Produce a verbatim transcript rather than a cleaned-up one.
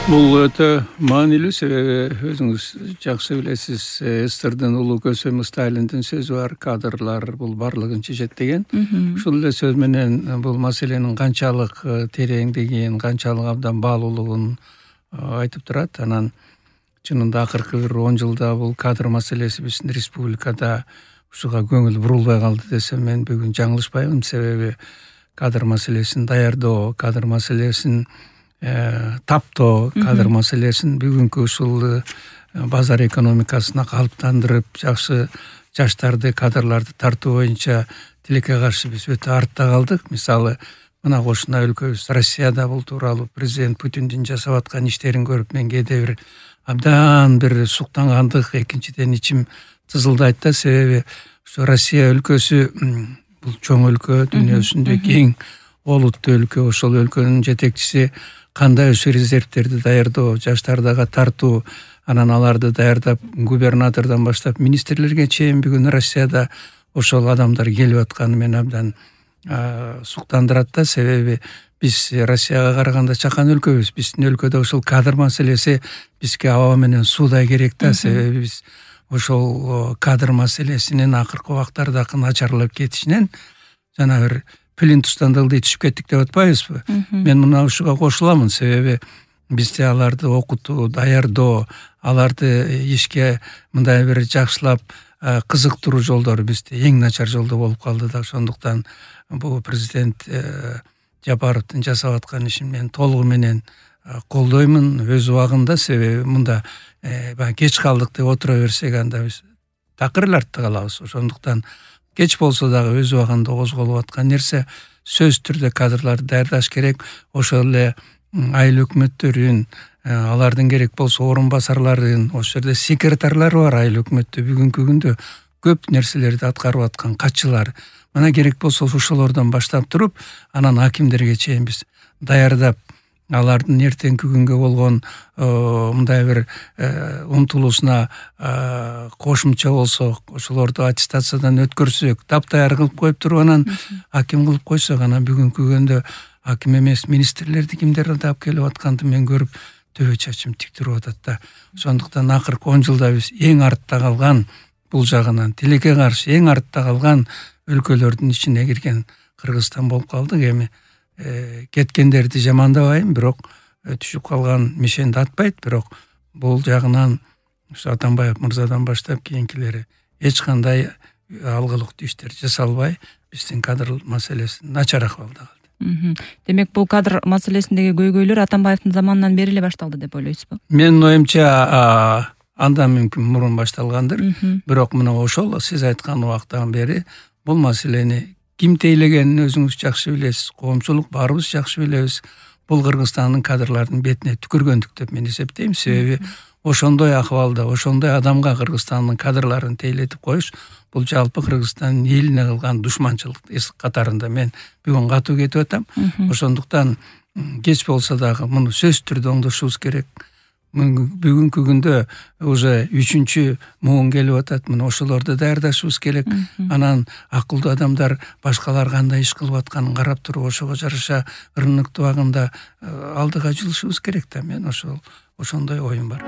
Бул өтө маанилүү, себеби өзүңүз жакшы билесиз, СССРдин улуу көсөмү Сталиндин сөзү бар, кадрлар бул баардыгын чечет деген. Ушул эле сөз менен бул маселенин канчалык тереңдигин, канчалык абдан баалуулугун айтып турат. Анан чынында акыркы бир он жылда бул кадр маселеси биздин республикада ушуга көңүл бурулбай калды десем мен бүгүн жаңылышпаймын. Себеби кадр маселесин даярдоо, кадр маселесин таптоо, кадр маселесин бүгүнкү ушул базар экономикасына калыптандырып, жакшы жаштарды, кадрларды тартуу боюнча тилекке каршы биз өтө артта калдык. Мисалы, мына кошуна өлкөбүз Россияда бул тууралуу президент Путиндин жасап аткан иштерин көрүп мен кээде бир абдан бир суктангандык, экинчиден ичим тызылдайт да. Себеби ушу Россия өлкөсү бул чоң өлкө, дүйнөсүндө кең олуттуу өлкө. Ошол өлкөнүн жетекчиси кандай ушу резервтерди даярдоо, жаштардага тартуу, анан аларды даярдап губернатордон баштап министрлерге чейин бүгүн Россияда ошол адамдар келип атканы мени абдан суктандырат да. Себеби биз Россияга караганда чакан өлкөбүз. Биздин өлкөдө ушул кадр маселеси бизге аба менен суудай керек да. Себеби биз ошол кадр маселесинин акыркы убактарда начарлап кетишинен жана бир плинтустан дылды түшүп кеттик деп атпайбызбы? Мен мына ушуга кошуламын. Себеби бизде аларды окутуу, даярдоо, аларды ишке мындай бир жакшылап кызыктыруу жолдору бизде эң начар жолдо болуп калды да. Ошондуктан бул президент Жапаровдун жасап аткан ишин мен толугу менен колдоймун өз убагында. Себеби мында кеч калдык деп отура берсек анда биз такыр эле артта калабыз. Ошондуктан кеч болсо дагы өз убагында козголуп аткан нерсе, сөзсүз түрдө кадрларды даярдаш керек. Ошол эле айыл өкмөттөрүн, алардын керек болсо орун басарларын, ошол жерде секретарлары бар айыл өкмөттө бүгүнкү күндө көп нерселерди аткарып аткан катчылар. Мына керек болсо ошолордон баштап туруп, анан акимдерге чейин биз даярдап, алардын эртеңки күнгө болгон мындай бир умтулуусуна кошумча болсок, ошолорду аттестациядан өткөрсөк, таптаяр кылып коюп туруп анан аким кылып койсок, анан бүгүнкү күндө аким эмес министрлерди кимдер алып келип атканды мен көрүп төбө чачым тик туруп атат да. Ошондуктан акыркы он жылда биз эң артта калган, бул жагынан тилекке каршы эң артта калган өлкөлөрдүн ичине кирген Кыргызстан болуп калдык. Эми кеткендерди жамандабайм, бирок түшүп калган мишенди атпайт, бирок бул жагынан ушу Атамбаев мырзадан баштап кийинкилери эч кандай алгылыктуу иштер жасалбай, биздин кадр маселеси начар акыбалда калды. Демек бул кадр маселесиндеги көйгөйлөр Атамбаевдин заманынан бери эле башталды деп ойлойсузбу? Менин оюмча андан мүмкүн мурун башталгандыр. Бирок мына ошол сиз айткан убактан бери бул маселени ким тейлегенин өзүңүз жакшы билесиз, коомчулук баарыбыз жакшы билебиз. Бул Кыргызстандын кадрлардын бетине түкүргөндүк деп мен эсептейм. Себеби ошондой акыбалда, ошондой адамга Кыргызстандын кадрларын тейлетип коюш бул жалпы Кыргызстандын элине кылган душманчылык катарында мен бүгүн катуу кетип атам. Ошондуктан кеч болсо дагы муну сөзсүз түрдө оңдошубуз керек. Бүгүнкү күндө уже үчүнчү муун келип атат. Мына ошолорду даярдашыбыз керек. Анан акылдуу адамдар башкалар кандай иш кылып атканын карап туруп, ошого жараша ырыныктуу багында алдыга жылышыбыз керек да. Мен ошол ошондой оюм бар.